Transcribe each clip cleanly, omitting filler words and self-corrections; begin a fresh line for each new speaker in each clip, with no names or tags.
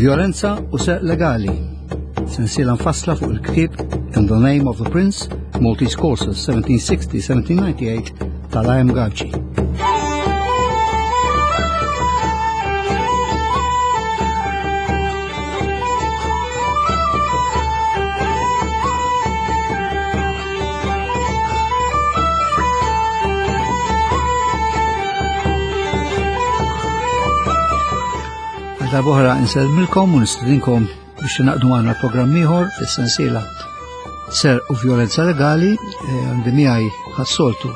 Violenza u Serq Legali. Sensiela mfassla fuq il-ktieb In the Name of the Prince, Maltese Courses 1760-1798 tal-IM Gauci. Darbohra insellmilkom u nistedinkom biex naqdu għandna programm ieħor fis-sensiela Ser u Violenza Legali eh, għandi miegħi ħassoltu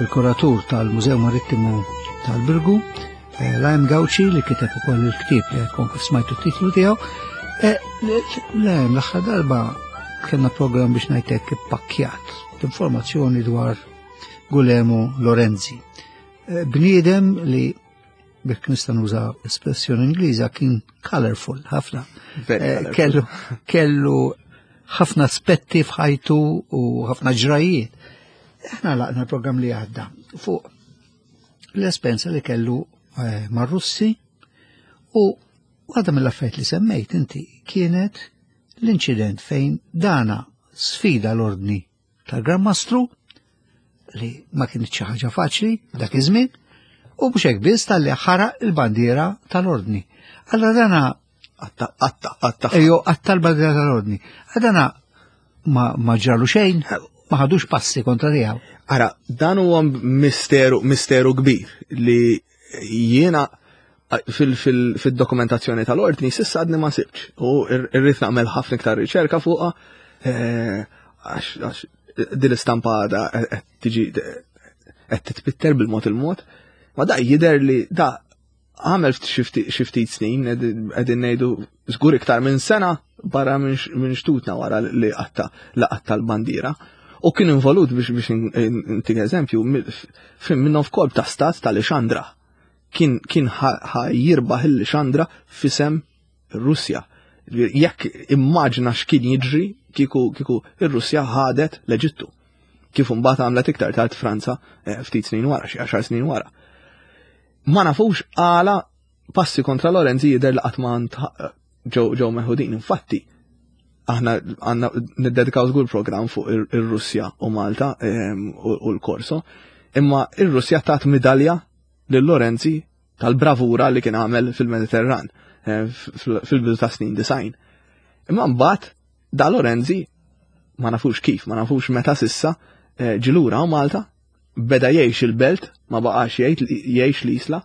il-kuratur tal-Mużew Marittimu tal-Birgu, eh, Lajm Gawċi li kiteb ukoll il-ktieb li għedkom kif smajtu t-titlu tiegħu. Eh, Lajm l-aħħar darba kellna programm biex ngħidlek ippakkjat informazzjoni dwar Gulemo Lorenzi. Eh, bniedem li biex nista' nuża espressjoni Ingliża kien colorful ħafna. Kellu kellu ħafna aspetti f'ħajtu u ħafna ġrajiet. Aħna laqna l-programm li għadda fuq l-espenza li kellu eh, mar-Russi u waħda mill-affarijiet li semmejt inti kienet l-inċident fejn dana sfida l-ordni tal-Gran Mastru li ma kienet xi ħaġa faċli dak iż-żmien u mhux hekk biss talli ħaraq il-bandiera tal-ordni. Allora dana
Għatta, għatta, għatta.
Ejo, għatta l-bandiera tal-ordni. Dana ma, ma ġralu xejn, ma ħadux passi kontra tiegħu.
Ara, dan huwa misteru, misteru kbir li jiena fil-dokumentazzjoni tal-ordni sissa għadni ma sibx u irrid nagħmel ħafna iktar riċerka fuqha eh, għax din l-istampa għadha qed tiġi qed titpitter bil-mod il-mod. Ma da jidher li da għamel xi ftit snin qegħdin ngħidu żgur iktar minn sena barra minn xtutna wara li qatta la qatta l-bandiera. U kien involut biex biex intik eżempju minnhom f'kolb ta' stat tal-Ixandra. Kien kien jirbaħ il-Ixandra fisem Russja. Jekk immaġna x'kien jiġri kieku kieku ir-Russja ħadet l-Eġittu. Kif imbagħad għamlet iktar tard Franza eh, ftit snin wara, xi għaxar snin wara. Ma nafux għala passi kontra Lorenzi jidher li qatt ma ġew ġew meħudin. Infatti, aħna għandna niddedikaw żgur programm fuq ir-Russja u Malta ehm, u l-Korso, imma ir-Russja tat midalja lil Lorenzi tal-bravura li kien għamel fil-Mediterran eh, fil-bidu ta' snin design. Imma mbagħad da Lorenzi ma nafux kif, ma nafux meta sissa eh, ġilura u Malta Beda jgħix il-belt, ma baqax jgħix l-Isla.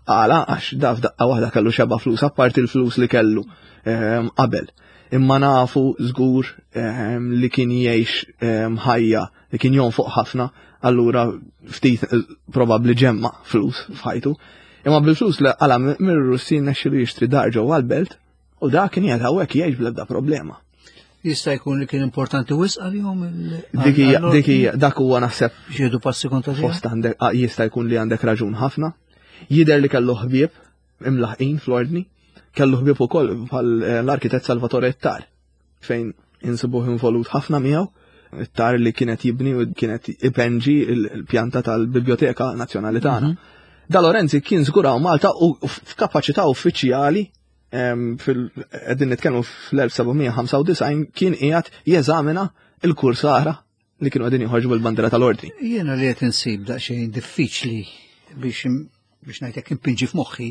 Għala, għax da f'daqqa waħda kellu xeba flus, apparti l-flus li kellu ehm, qabel. Imma nafu żgur ehm, li kien jgħix ehm, ħajja, li kien jonfoq ħafna, allura ftit eh, probabbli ġemma flus f'ħajtu. Imma bil-flus li għala mir-Russi nexxilu jixtri dar ġewwa l-belt, U da kien jgħid hawnhekk jgħix bl-ebda problema.
Jista' jkun li kien importanti wisq għalihom
Dik hija dik hija dak huwa naħseb
xieħdu passi kontra
fost għandek ah, jista' jkun li għandek raġun ħafna. Jidher li kellu ħbieb imlaħqin fl-ordni, kellu ħbieb ukoll bħal eh, l-arkitett Salvatore Ettar fejn insibuh involut ħafna miegħu it-tar li kienet jibni u kienet ipenġi l-pjanta tal-Biblioteka Nazzjonali tagħna. Mhm. Da Lorenzi kien żguraw Malta u f'kapaċità uffiċjali qegħdin nitkellmu fl-1795 kien qiegħed jeżamina il-kursara li kienu qegħdin joħorġu bil-bandiera tal-ordni.
Jiena li qed insib daqsxejn diffiċli biex biex ngħidlek impinġi f'moħħi.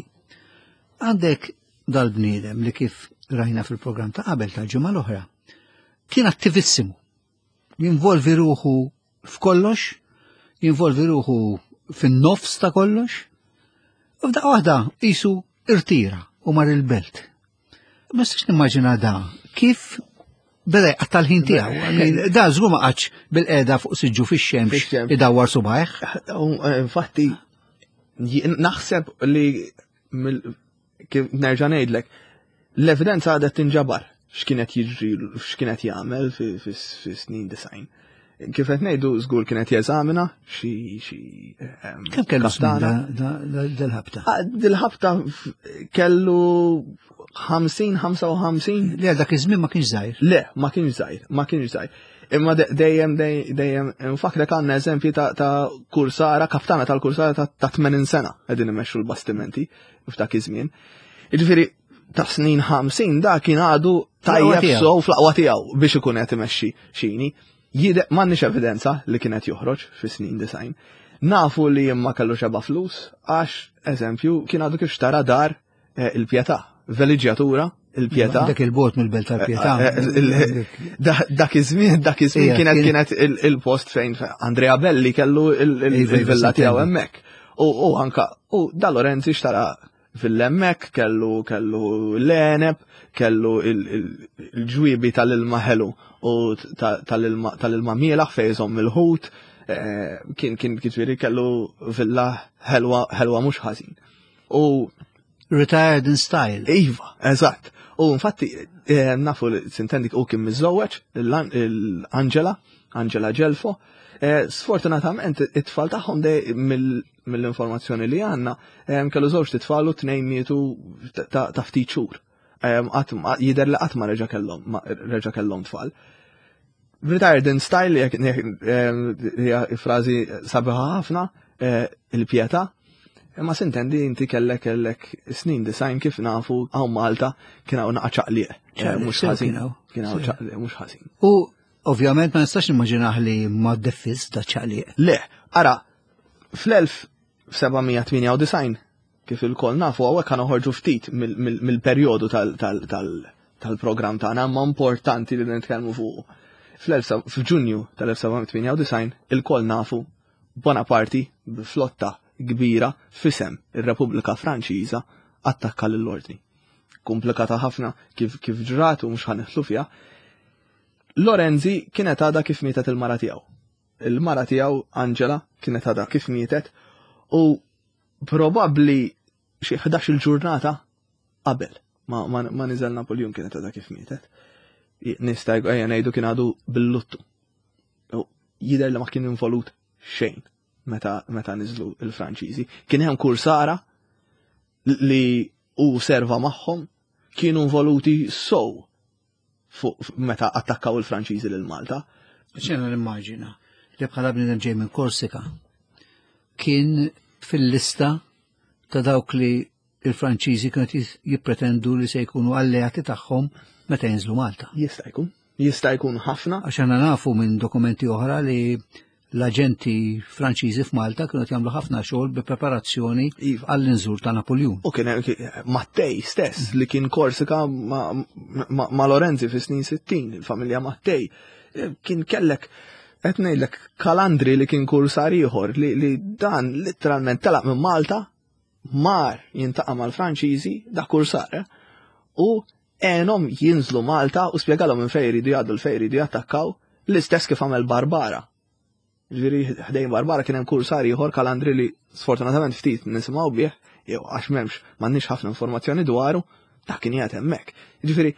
Għandek dal-bniedem li kif rajna fil-programm ta' qabel tal-ġimgħa l-oħra kien attivissimu. Jinvolvi ruħu f'kollox, jinvolvi ruħu fin-nofs ta' kollox, u f'daqqa waħda qisu irtira u mar il-belt. Ma nistax nimmaġina da kif beda jqatta' l-ħin tiegħu. Da żgur ma qatx bil-qeda fuq siġġu fix-xemx idawwar subajh.
Eh, infatti, naħseb li kif nerġa' ngħidlek, l-evidenza għadha tinġabar x'kienet jiġri x'kienet jagħmel fis-snin design. Kif qed ngħidu żgur kienet jeżamina xi xi
ehm, Kemm kellu dil-ħabta?
Ah, dil-ħabta kellu 50-55.
Le dak iż-żmien ma kienx żgħir.
Le, ma kienx żgħir, ma kienx żgħir. Imma dejjem dejjem nfakrek għandna eżempji ta' kursara, kaftana tal-kursara ta' 80 sena qegħdin imexxu l-bastimenti f'dak iż-żmien. Jiġifieri ta' snin 50 da kien għadu tajjeb sow fl-aqwa tiegħu biex ikun qed imexxi xini. Jide m'għandniex evidenza li kien qed joħroġ fi snin 90. Nafu li imma kellu xeba flus għax, eżempju, kien għadu kif xtara dar eh, il-pjetà, veliġġjatura il-pjetà.
Dak il-bot mill-belt tal-pjetà.
Eh, eh, dak iż-żmien, dak iż-żmien kienet kienet il-post fejn Andrea Belli kellu il-villa tiegħu hemmhekk. U anka u da Lorenzi xtara fil-hemmhekk kellu kellu l-għeneb, kellu il-ġwiebi tal-ilma ħelu u tal-ilma mielaħ fejn iżomm il-ħut, kien kien jiġifieri kellu villa ħelwa ħelwa mhux ħażin. U
Retired in style.
Iva, eżatt. U infatti eh, nafu li sintendik u kien miżżewweġ l-Angela, Angela Gelfo. Eh, sfortunatament it-tfal tagħhom mill-informazzjoni li għandna eh, kellu żewġ titfal u tnejn mietu ta' ftit xhur. Jidher li qatt ma reġa' kellhom reġa' kellhom tfal. Retired in style hija frażi sabiħa ħafna, eh, il-pjetà. Imma sintendi inti kellek kellek snin design kif nafu hawn Malta kien hawn naqa' ċaqliq. Eh, mhux ħażin. Kien hawn ċaqliq mhux ħażin.
U ovvjament ma nistax nimmaġinaħ li ma deffiż da ċaqliq.
Le, ara, fl-1798 Kif ilkoll nafu hawnhekk ħa noħorġu ftit mill-perjodu tal-programm tagħna, imma importanti li nitkellmu fuqu. F'Ġunju tal-1798 ilkoll nafu Bonaparte b'flotta kbira f'isem ir-Repubblika Franċiża attakka lill-Ordni. Komplikata ħafna kif kif ġrat u mhux ħa nidħlu fiha. Lorenzi kienet għadha kif mietet il-mara tiegħu. Il-mara tiegħu Angela kienet għadha kif mietet u Probabbli xi 11-il ġurnata qabel ma, ma, ma niżel Napoleon kienet għadha kif mietet. Nista' ejja ngħidu kien għadu bil-luttu. Jidher li ma kien involut xejn meta, meta niżlu il-Franċiżi. Kien hemm kursara li u serva magħhom kienu involuti sow fuq meta attakkaw il-Franċiżi lil Malta.
Ċena nimmaġina li bħala bniedem ġej minn Korsika kien fil-lista ta' dawk li il-Franċiżi kienu jippretendu li se jkunu alleati tagħhom meta jinżlu Malta.
Jista' jkun. Jista' jkun ħafna.
Għax aħna nafu minn dokumenti oħra li l-aġenti Franċiżi f'Malta kienu jagħmlu ħafna xogħol bi preparazzjoni iva. għall-inżur ta' Napoljun.
U kien Mattei stess li kien Korsika ma, ma, ma Lorenzi fi snin 60, il-familja Mattei, eh, kien kellek qed ngħidlek Kalandri li kien kursar ieħor li, li dan letteralment telaq minn Malta mar jintaqa' mal-Franċiżi da kursar eh, u għenhom jinżlu Malta u spjegalhom minn fejn jridu jgħaddu l fejn jridu jattakkaw l-istess kif għamel Barbara. Ġifieri ħdejn Barbara kien hemm kursar ieħor Kalandri li sfortunatament ftit nisimgħu bih, jew għax m'hemmx m'għandniex ħafna informazzjoni dwaru, ta' kien qiegħed hemmhekk. Ġifieri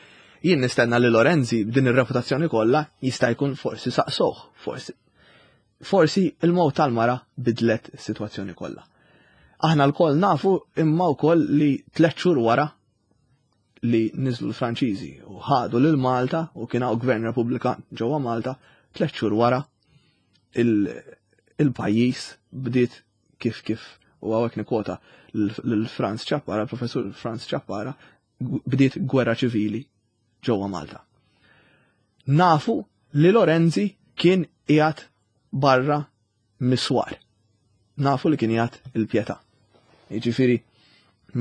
jien nistenna li Lorenzi b'din ir-reputazzjoni kollha jista' jkun forsi saqsoh, forsi forsi il-mowt tal-mara bidlet is-sitwazzjoni kollha. Aħna lkoll nafu imma wkoll li tliet xhur wara li niżlu l-Franċiżi u ħadu lil Malta u kien hawn gvern Repubblikan ġewwa Malta, tliet xhur wara il-pajjiż bdiet kif kif u hawnhekk nikkwota lil Franz Ciappara, professur Franz Ciappara, bdiet gwerra ċivili ġewwa Malta. Nafu li Lorenzi kien qiegħed barra miswar. Nafu li kien jgħat il-pjetà. Jiġifieri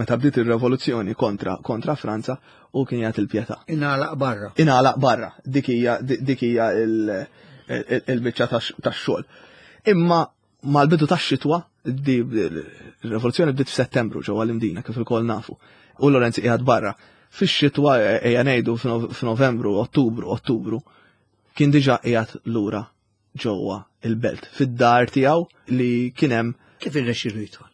meta bdiet ir-revoluzzjoni kontra kontra Franza u kien jgħat il-pjetà.
Ingħalaq barra.
Ingħalaq barra. Dik hija dik hija il-biċċa tax-xogħol. Imma mal-bidu tax-xitwa, il-rivoluzzjoni bdiet f'Settembru ġewwa l-Imdina kif ilkoll nafu. U Lorenz qiegħed barra. Fix-xitwa ejja ngħidu f'Novembru, Ottubru, Ottubru, kien diġà qiegħed lura ġewwa il-belt, fid-dar tiegħu li kien hemm.
Kif irnexxielu jidħol?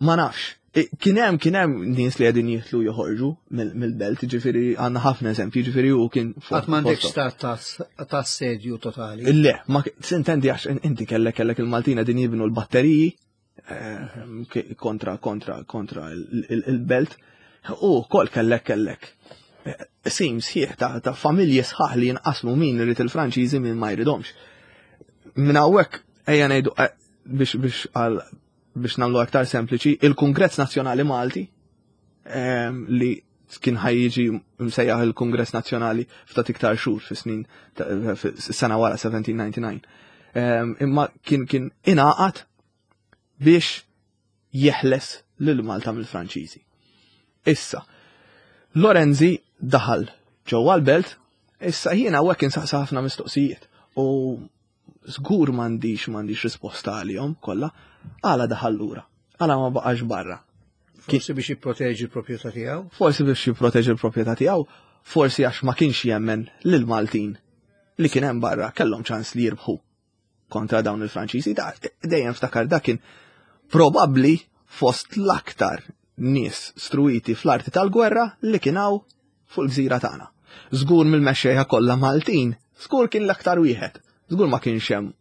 Ma nafx. Kien hemm kien hemm nies li qegħdin jidħlu joħorġu mill-belt, ġifieri għandna ħafna eżempji, ġifieri hu kien
Qatt m'għandekx stat ta' assedju totali.
Le, ma sintendi għax inti kellek kellek il-Maltin qegħdin jibnu l-batteriji eh, kontra kontra kontra il-belt u kol kellek kellek eh, sim sħiħ ta' familji sħaħ li jinqasmu min irid il-Franċiżi min ma jridhomx. Minn hawnhekk ejja ngħidu eh, biex biex għal biex nagħmlu aktar sempliċi, il-Kungress Nazzjonali Malti ehm, li kien ħajjiġi msejjaħ il-Kungress Nazzjonali ftit iktar xhur fi snin sena wara 1799. Ehm, imma kien kien ingħaqad biex jeħles lil Malta mill-Franċiżi. Issa, Lorenzi daħal ġewwa l-belt, issa jiena hawnhekk insaqsa ħafna mistoqsijiet u żgur m'għandix m'għandix risposta għalihom kollha, għala daħal lura, għala ma baqax barra.
Forsi biex jipproteġi l-proprjetà tiegħu?
Forsi biex jipproteġi l-proprjetà tiegħu, forsi għax ma kienx jemmen lil Maltin li kien hemm barra kellhom ċans li jirbħu kontra dawn il-Franċiżi, dejjem ftakar dak kien probabbli fost l-aktar nies struiti fl-arti tal-gwerra li kien hawn fuq il-gżira tagħna. Żgur mill-mexxejja kollha Maltin, żgur kien l-aktar wieħed. Żgur ma kienx hemm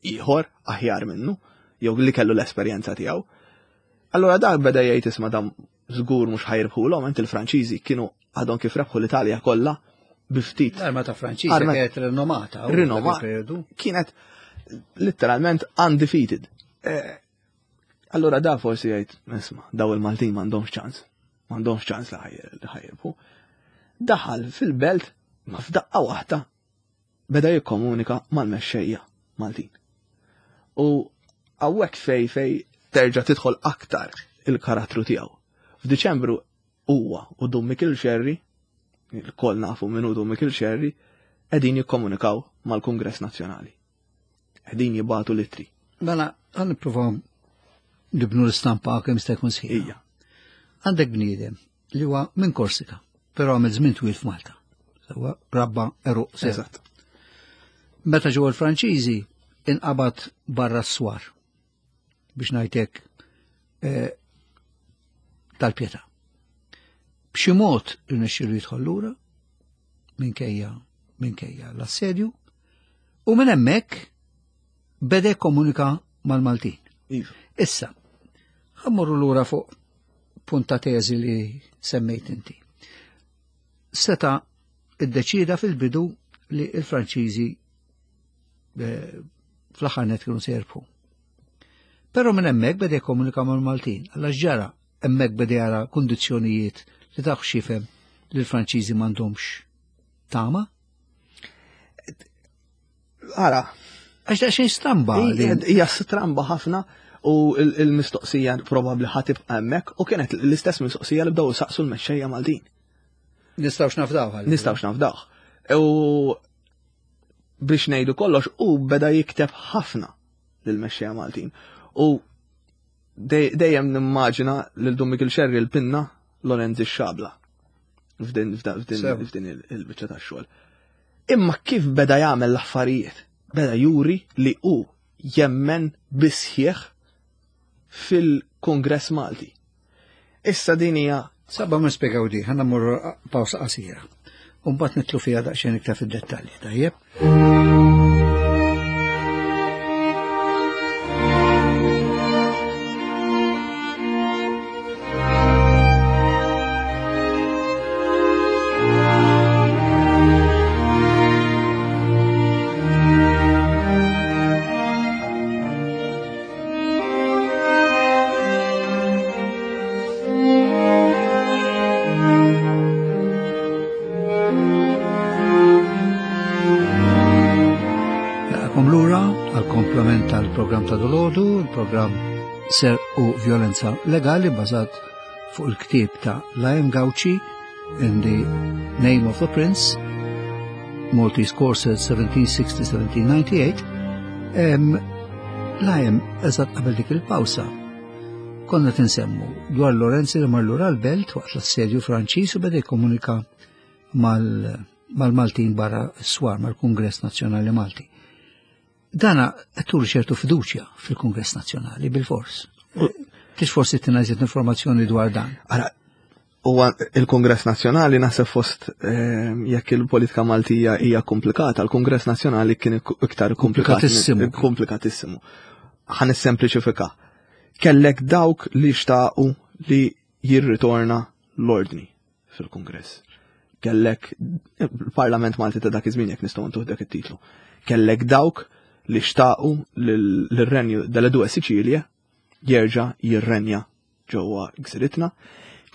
ieħor aħjar minnu jew li kellu l-esperjenza tiegħu. Allura dak beda jgħid isma' dam żgur mhux ħajrbħulhom, int il-Franċiżi kienu għadhom kif rebħu l-Italja kollha bi ftit.
L-arma ta' Franċiżi kienet rinomata.
Rinomata. Kienet letteralment undefeated. Eh, allura da forsi jgħid, isma' daw il-Maltin m'għandhomx ċans. M'għandhomx ċans li ħajrbħu. Daħal fil-belt ma f'daqqa waħda beda jikkomunika mal-mexxejja Maltin. U hawnhekk fej fej terġa' tidħol aktar il-karattru tiegħu. F'Diċembru huwa u Dun Mikil Xerri, il-koll nafu min hu Dun Mikil Xerri, qegħdin jikkomunikaw mal-Kungress Nazzjonali. Qegħdin jibgħatu l-ittri.
Mela, għan nippruvaw nibnu l-istampa kemm jista' jkun sħiħa. Għandek bniedem li huwa minn Korsika, però għamel żmien twil f'Malta. Huwa rabba eruq
Eżatt.
Meta ġew il-Franċiżi inqabad barra s-swar biex ngħidlek eh, tal-pietà. B'xi mod irnexxielu jidħol lura minkejja minkejja l-assedju u minn hemmhekk beda jikkomunika mal-Maltin.
Iva.
Issa, ħammorru lura fuq punta teżi li semmejt inti. Seta iddeċida fil-bidu li il-Franċiżi eh, fl-aħħar net kienu se jirbħu. Però minn hemmhekk beda jikkomunika mal-Maltin, għal ġara hemmhekk beda jara kundizzjonijiet li taf xifhem li l-Franċiżi m'għandhomx tama.
Ara.
Għax daqsxejn stramba.
Hija stramba ħafna u il-mistoqsija probabbli ħatibqa' hemmhekk u kienet l-istess mistoqsija li bdew saqsu l-mexxejja Maltin.
Nistgħux nafdaw.
Nistgħux nafdaw. U biex ngħidu kollox u beda jikteb ħafna lill-mexxejja Maltin. U dejjem nimmaġina lil Dun Mikil Xerri l-pinna Lorenzi x-xabla f'din il-biċċa tax-xogħol. Imma kif beda jagħmel l-affarijiet? Beda juri li hu jemmen bisħieħ fil-Kongress Malti. Issa din hija
Sabba ma spjegaw di, ħanna morru pawsa qasira. U mbagħad nitlu fiha daqsxejn iktar fid-dettalji, tajjeb? Naqakom lura għal komplement tal-programm ta' dolodu, il-programm Ser u Violenza Legali bazat fuq il-ktieb ta' Liam Gauci in the Name of the Prince, Maltese Courses 1760-1798, Liam eżatt qabel dik il-pawsa konna tinsemmu dwar Lorenzi li mar lura l-belt waqt l-assedju Franċiż u beda jikkomunika mal-Maltin barra s-swar mal-Kungress Nazzjonali Malti. Dana qed turi ċertu fiduċja fil-Kungress Nazzjonali bil-fors. Tix forsi tina iżjed informazzjoni dwar dan.
Ara, huwa il-Kongress Nazzjonali naħseb fost ehm, jekk il-politika Maltija hija komplikata, il-Kongress Nazzjonali kien iktar
komplikatissimu.
Komplikatissimu. Ħa nissempliċifika. Kellek dawk li xtaqu li jirritorna l-ordni fil-Kongress. Kellek il-Parlament Malti ta' dak iż-żmien jekk nistgħu ntuh dak it-titlu. Kellek dawk li xtaqu l-renju delle due Sicilie jerġa' jirrenja ġewwa gżiritna.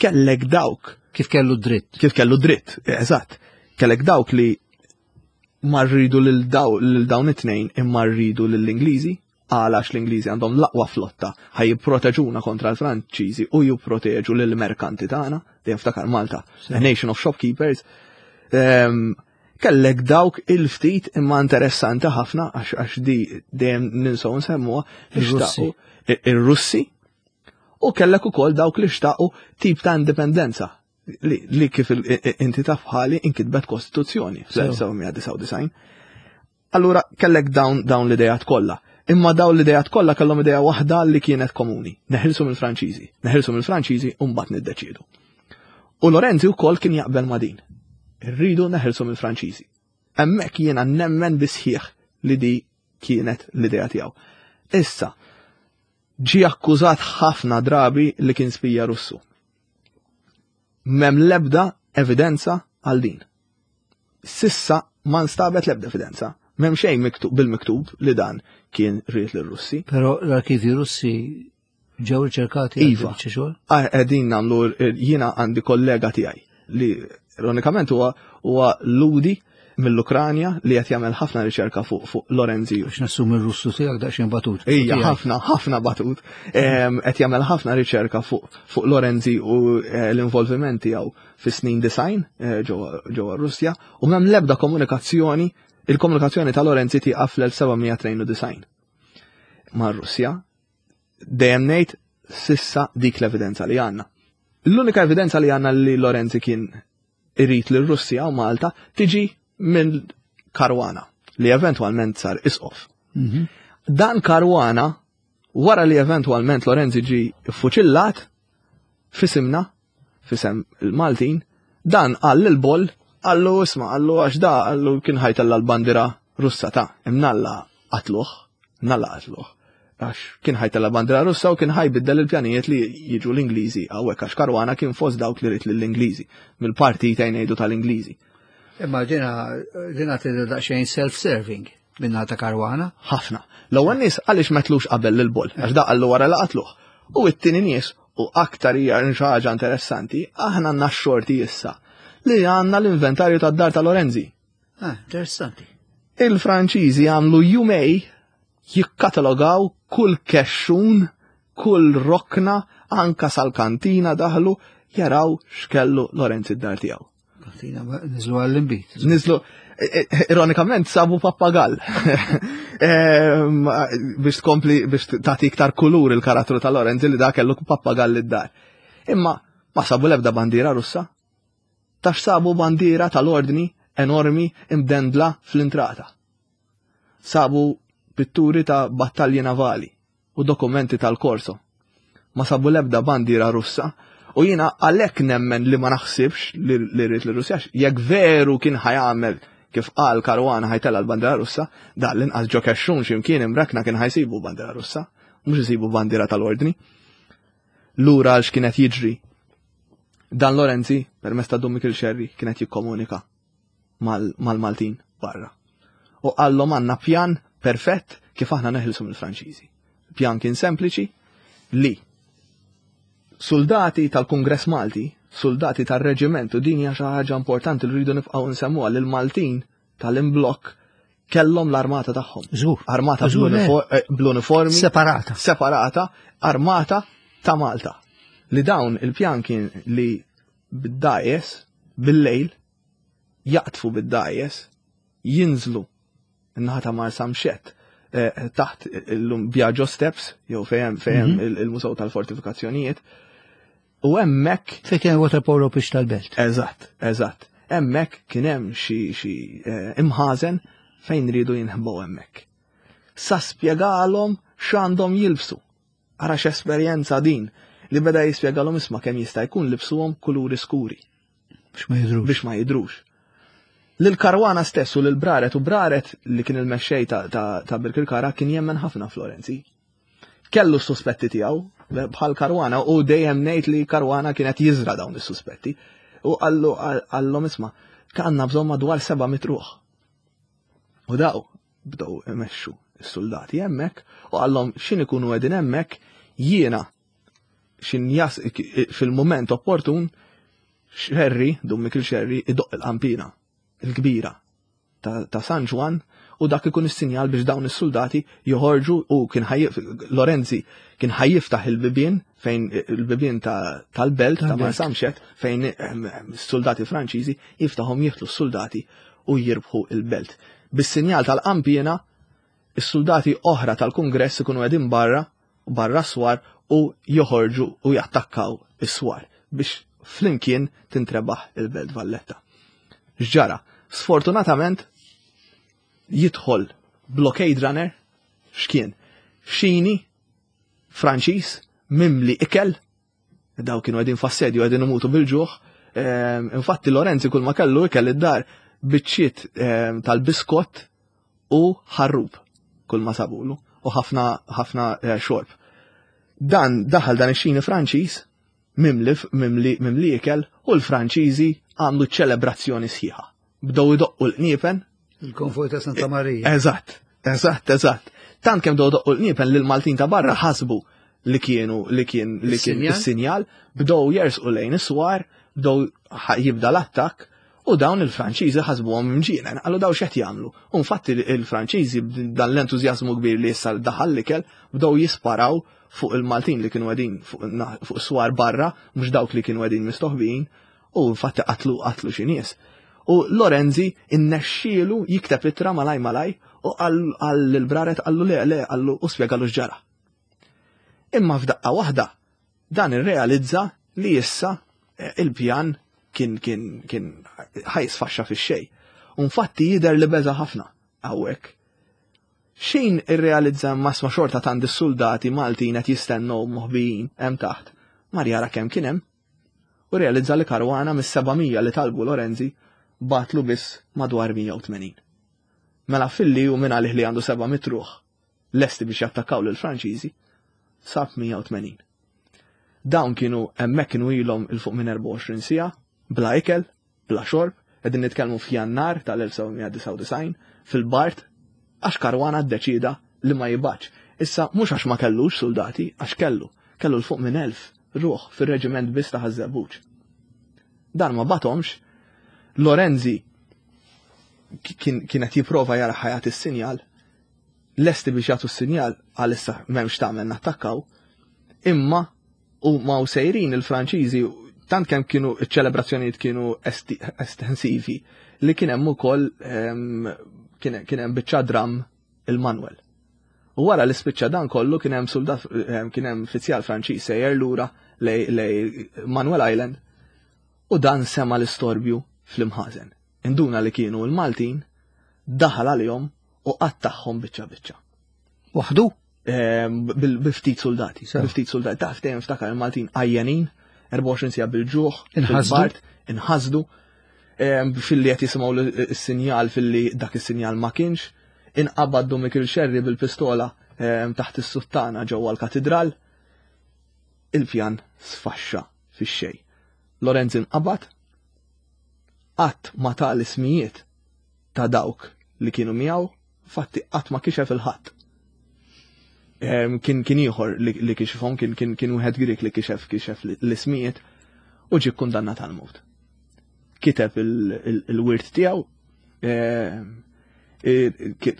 Kellek dawk
Kif kellu dritt.
Kif kellu dritt, eżatt. Kellek dawk li ma rridu lil dawn it-tnejn imma rridu lill-Ingliżi, għal għax l-Ingliżi għandhom l-aqwa flotta ħaj jipproteġuna kontra l-Franċiżi u jipproteġu lill merkanti tagħna, dejjem ftakar Malta, a nation of shopkeepers. Ehm, kellek dawk il-ftit imma interessanti ħafna għax di dejjem ninsaw nsemmuha ir-Russi u kellek ukoll dawk li xtaqu tip ta' indipendenza li, li kif inti taf bħali inkitbet kostituzzjoni fl-1999. Allura kellek dawn dawn l-idejat kollha. Imma dawn l-idejat kollha kellhom idea waħda li kienet komuni. Neħilsu mill-Franċiżi. Neħilsu mill-Franċiżi u mbagħad niddeċiedu. U Lorenzi wkoll kien jaqbel ma' din. Irridu neħilsu mill-Franċiżi. Hemmhekk jiena nemmen bisħieħ li di kienet l-idea tiegħu. Issa, ġie akkużat ħafna drabi li kien spija Russu. M'hemm l-ebda evidenza għal din. Sissa ma nstabet l-ebda evidenza. M'hemm xejn miktub bil-miktub li dan kien ried lir-Russi.
Però l-arkivi Russi ġew riċerkati
iva. Ah, qegħdin nagħmlu jiena għandi kollega tiegħi li ironikament huwa huwa Ludi mill-Ukranja li qed jagħmel ħafna riċerka fuq fuq Lorenzi.
Biex nassum ir-Russu tiegħek daqsxejn batut.
Ija, ħafna, ħafna batut. Qed jagħmel ħafna riċerka fuq fuq Lorenzi u eh, l-involviment tiegħu fis-snin design eh, ġewwa Russja u m'hemm l-ebda komunikazzjoni, il-komunikazzjoni ta' Lorenzi tieqaf fl-1792 mar-Russja. Dejjem ngħid sissa dik l-evidenza li għandna. L-unika evidenza li għandna li Lorenzi kien irid li Russja u Malta tiġi minn Karwana li eventwalment sar isqof. Mhm. Dan Karwana wara li eventwalment Lorenzi ġi fuċillat fisimna, fisem il-Maltin, dan qal lil Boll, qallu isma' qallu għax da qallu kien ħajtella l-bandira Russa ta' imnalla qatluh, mnalla qatluh. Għax kien ħajtella bandira Russa u kien ħajbiddel il-pjanijiet li jiġu l-Ingliżi hawnhekk għax Karwana kien fost dawk li rid lill-Ingliżi, mill-partit ngħidu tal-Ingliżi.
Imma dina dina tidher daqsxejn self-serving minna ta' Karwana.
Ħafna. L-ewwel nies għaliex metlux qabel lil Boll, għax da qallu wara li qatluh. U t-tieni nies u aktar hija xi ħaġa interessanti, aħna għandna x-xorti issa li għandna l-inventarju tad-dar ta' Lorenzi.
Ah, interessanti.
Il-Franċiżi għamlu jumej jikkatalogaw kull kexxun, kull rokna, anka sal-kantina daħlu jaraw x'kellu Lorenzi d-dar tiegħu.
Kantina niżlu għall-imbit.
Niżlu, e, e, ironikament sabu pappagall. Ehm, biex tkompli biex tagħti iktar kulur il-karattru ta' Lorenzi li da kellu pappagall id-dar. Imma ma sabu l-ebda bandiera Russa. Tax sabu bandiera tal-ordni enormi imdendla fl-intrata. Sabu pitturi ta' battalji navali u dokumenti tal-Korso. Ma sabu l-ebda bandiera Russa u jiena għalhekk nemmen li ma naħsibx li rrid l-Russja jekk veru kien ħajamel kif qal Karwana ħajtella l-bandiera Russa, da l-inqas ġo kexxun x'imkien imrakna kien ħajsibu bandiera Russa, mhux isibu bandiera tal-ordni. Lura għal x'kienet jiġri. Dan Lorenzi, permezz ta' Dun Mikil Xerri, kienet jikkomunika mal-Maltin barra. U qallhom għandna pjan perfett kif aħna neħilsu mill-Franċiżi. Pjan kien sempliċi li soldati tal-Kungress Malti, soldati tal-reġiment, u din hija xi ħaġa importanti li rridu nibqgħu nsemmuha lil Maltin tal-imblokk kellhom l-armata tagħhom.
Żgur.
Armata eh, bl-uniformi.
Separata.
Separata, armata ta' Malta. Li dawn il-pjan kien li bid-dajes bil-lejl jaqtfu bid-dajes jinżlu n-naħa ta' Marsamxett eh, taħt illum Biagio Steps jew fejn fejn mhm. il-Mużew tal-Fortifikazzjonijiet. U hemmhekk
Fejn kien water polo biex tal-belt.
Eżatt, eżatt. Hemmhekk kien hemm xi xi eh, imħażen fejn ridu jinħbow hemmhekk. Sa spjegalhom x'għandhom jilbsu. Ara x'esperjenza din li beda jispjegalhom isma' kemm jista' jkun libsuhom kuluri skuri.
Biex ma jidrux.
Biex ma jidrux. Lil Karwana stess u lil Braret u Braret li kien il-mexxej ta', ta, ta Birkirkara kien jemmen ħafna Florenzi. Kellu s-suspetti tiegħu bħal Karwana u dejjem ngħid li Karwana kienet jiżra dawn is-suspetti. U qallu qallhom isma' kanna bżonn madwar seba' mitruħ. U daw bdew imexxu s-soldati hemmhekk u qallhom x'in ikunu qegħdin hemmhekk jiena xin jas fil-mument opportun Xerri, Dun Mikil Xerri, idoqq il-qampina il-kbira ta' San Ġwann u dak ikun is-sinjal biex dawn is-suldati joħorġu u kien Lorenzi kien ħajjiftaħ il-bibien fejn il-bibien tal-belt ta' Marsamxett fejn s-suldati Franċiżi jiftaħhom jieħdu s-suldati u jirbħu il-belt. Bis-sinjal tal-qampina is-suldati oħra tal-Kungress ikunu qegħdin barra barra s-swar u joħorġu u jattakkaw is-swar biex flimkien tintrebaħ il-Belt Valletta. X'ġara? Sfortunatament jidħol blockade runner x'kien? Xini Franċiż mimli ikel daw kienu qegħdin f'assedju qegħdin imutu bil-ġuħ. Ehm, infatti Lorenzi kull ma kellu ikel id-dar biċċiet ehm, tal-biskott u ħarrub kull ma sabulu u ħafna ħafna eh, xorb. Dan daħal dan ix-xini Franċiż mimli mimli mimli ikel u l-Franċiżi għamlu ċelebrazzjoni sħiħa. Bdew idoqqu l-qniepen.
Il-konvoj ta' Santa Marija.
Eżatt, eżatt, eżatt. Tant kemm bdew idoqqu l-qniepen li l-Maltin ta' barra ħasbu li kienu li kien li kien is-sinjal, bdew jersqu lejn is-swar, bdew jibda l-attakk u dawn il-Franċiżi ħasbuhom imġienen, qalu daw x'qed jagħmlu. U infatti il-Franċiżi dan l-entużjażmu kbir li issa daħal l-ikel bdew jisparaw fuq il-Maltin li kienu qegħdin fuq swar barra, mhux dawk li kienu qegħdin mistoħbijin, u infatti qatlu qatlu xi nies. U Lorenzi innexxielu jikteb ittra malaj malaj u qal lill-Braret qallu le le qallu u spjegalu x'ġara. Imma f'daqqa waħda dan irrealizza li issa eh, il-pjan kien kien kien ħajsfaxxa fix-xejn. U infatti jidher li beża ħafna hawnhekk. Xejn irrealizza imma sma xorta tant is-suldati Maltin qed jistennew moħbijin hemm taħt. Mar jara kemm kien hemm u rrealizza li Caruana mis-700 li talbu Lorenzi bagħatlu biss madwar 180. Mela filli hu minn għalih li għandu 700 ruħ lesti biex jattakkaw lill-Franċiżi, sab 180. Dawn kienu hemmhekk kienu ilhom 'il fuq minn 24 siegħa bla ikel, bla xorb, qegħdin nitkellmu f'Jannar tal-1799 fil-Bart għax Caruana ddeċieda li ma jibgħatx. Issa mhux għax ma kellux suldati, għax kellu, kellu 'l fuq minn 1000 ruħ fir-reġiment biss ta' Ħaż-Żebbuġ. Dan ma bagħthomx, Lorenzi kien qed jipprova jara ħajat is-sinjal, lesti biex jagħtu s-sinjal għalissa m'hemmx tagħmel nattakkaw, imma u ma u sejrin il-Franċiżi tant kemm kienu ċ-ċelebrazzjonijiet kienu estensivi li kien hemm ukoll ehm, kien hemm biċċa dram il-Manuel. U wara li spiċċa dan kollu kien hemm soldat ehm, kien hemm fizzjal Franċiż sejjer lura lej Manuel Island u dan sema l-istorbju fl-imħażen. Induna li kienu l-Maltin daħal għalihom u qattagħhom biċċa biċċa.
Waħdu?
Ehm, bil-ftit soldati. Bil-ftit soldati. Taf dejjem ftakar il-Maltin għajjanin, 24 sija bil-ġuħ,
inħasdu.
Inħasdu. Ehm, filli qed jisimgħu s-sinjal filli dak is-sinjal ma kienx. Inqabad Mikil Xerri bil-pistola ehm, taħt is-suttana ġewwa l-katidral. Il-pjan sfaxxa fix-xejn. Lorenz inqabad, qatt ma ta l-ismijiet ta' dawk li kienu miegħu, fatti qatt ma kixef il-ħadd. Kien kien ieħor li kixifhom, kien kien kien wieħed Grieg li kixef kixef l-ismijiet u ġie kkundannat għal mewt. Kiteb il-wirt tiegħu,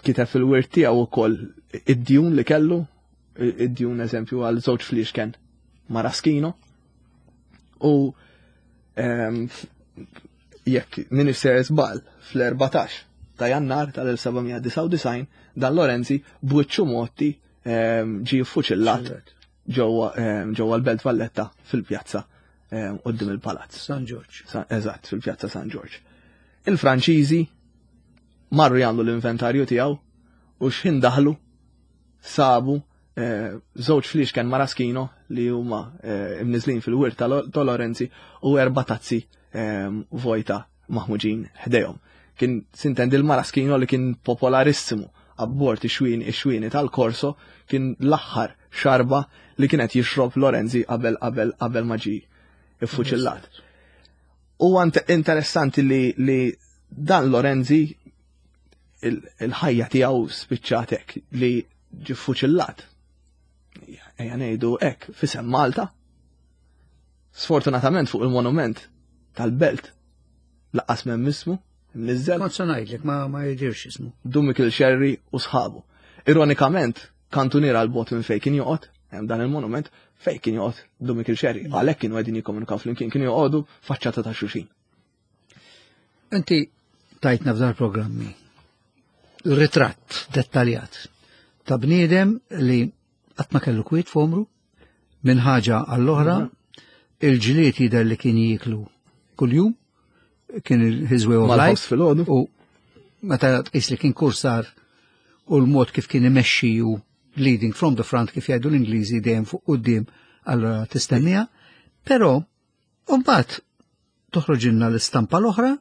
kiteb fil-wirt tiegħu wkoll id-djun li kellu, id-djun eżempju għal żewġ fliexken maraskino u jekk minix ser żball fl-14 ta' Jannar tal-1799 dan Lorenzi b'wiċċu motti ehm, ġie ffuċillat ġewwa ehm, l-Belt Valletta fil-pjazza ehm, qudiem il-palazz.
San Ġorġ.
Eżatt, fil-pjazza San Ġorġ. Il-Franċiżi marru jagħmlu l-inventarju tiegħu u x'ħin daħlu sabu eh, żewġ fliexken maraskino li huma eh, imniżlin fil-wirt ta' Lorenzi u erba' tazzi eh, vojta maħmuġin ħdejhom. Kien sintendi l-maraskino li kien popolarissimu abbord ix-xwien ix-xwieni tal-Korso kien l-aħħar xarba li kienet jixrob Lorenzi qabel qabel qabel ma ġie iffuċillat. Huwa interessanti li, li dan Lorenzi il-ħajja tiegħu spiċċat hekk li ġie fuċillat. Ejja ngħidu hekk fisem Malta. Sfortunatament fuq il-monument tal-belt laqqas m'hemm ismu, mniżżel.
Kont se ngħidlek ma ma jidirx ismu.
Dun Mikiel Xerri u sħabu. Ironikament, kantuniera 'l bogħod minn fejn kien joqgħod, hemm dan il-monument, fejn kien joqgħod Dun Mikiel Xerri. Mm. Għalhekk kienu qegħdin jikkomunikaw flimkien, kienu joqogħdu faċċata ta' xulxin.
Inti tajtna f'dar programmi ritratt dettaljat ta' bniedem li qatt ma kellu kwiet f'omru, minn ħaġa għall-oħra, mhm. il-ġlied jidher li kien jieklu kuljum, kien his way of life. U meta tqis li kien kursar u l-mod kif kien imexxi u leading from the front kif jgħidu l-Ingliżi dejjem fuq quddiem allora tistennija. Però mbagħad toħroġilna l-istampa l-oħra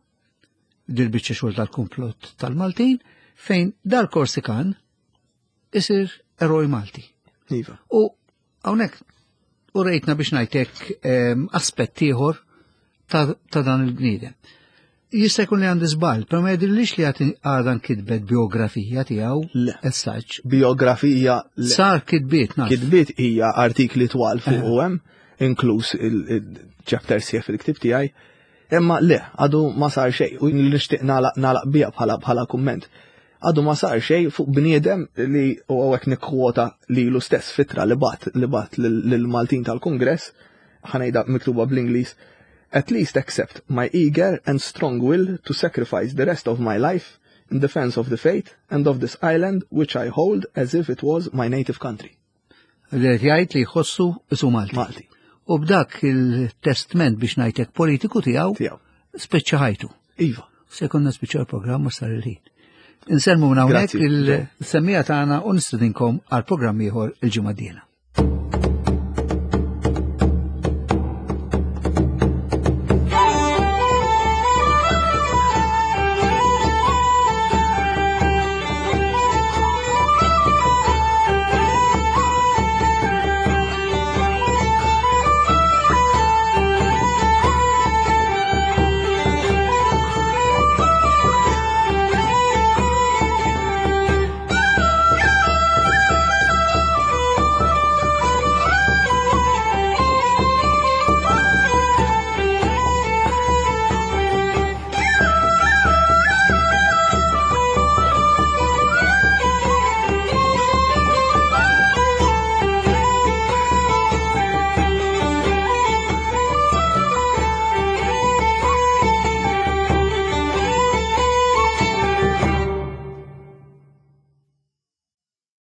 dil-biċċa xogħol tal-komplott tal-Maltin fejn dal-Korsikan isir eroj Malti.
Iva.
U hawnhekk u rejtna biex ngħidlek ehm, aspett ieħor ta', ta dan il-bniedem. Jista' jkun li għandi żball, però ma jidhirlix li għadha nkitbet biografija tiegħu as such.
Biografija
Sar kitbiet
naf. Kitbiet hija artikli twal fuq eh. hemm, inkluż il-chapter sieħ fil-ktib tiegħi. Imma le, għadu ma sar xejn u nixtieq nagħlaq biha bħala bħala kumment. Għadu ma sar xejn fuq bniedem li u hawnhekk nikkwota lilu stess fitra li bat li bat lill-Maltin tal-Kungress, ħanejda miktuba bl-Ingliż, At least accept my eager and strong will to sacrifice the rest of my life in defense of the faith and of this island which I hold as if it was my native country.
Li qed jgħid li jħossu isu Malti.
Malti.
U b'dak il-testment biex ngħidlek politiku tiegħu
tiegħu.
Spiċċa ħajtu.
Iva.
Se konna spiċċa l-programm u sar il-ħin. Insellmu minn hawnhekk il-semmija tagħna u nistedinkom għal programm ieħor il-ġimgħa d-dieħla.